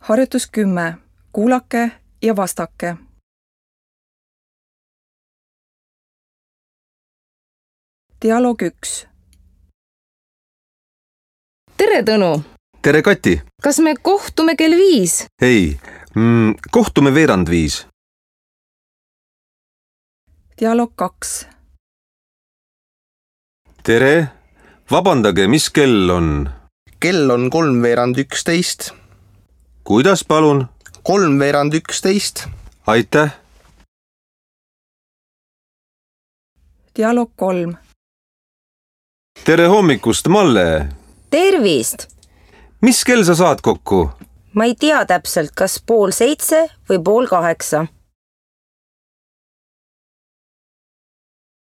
Harjutus 10. Kuulake ja vastake. Dialoog 1. Tere, Tõnu! Tere, Kati! Kas me kohtume kell 5? Ei, kohtume 4:45. Dialoog 2. Tere! Vabandage, mis kell on? Kell on 11:45. Kuidas, palun? 11:45. Aitäh! Dialoog 3. Tere hommikust, Malle! Tervist! Mis kell sa saad kokku? Ma ei tea täpselt, kas 7:30 või 7:30.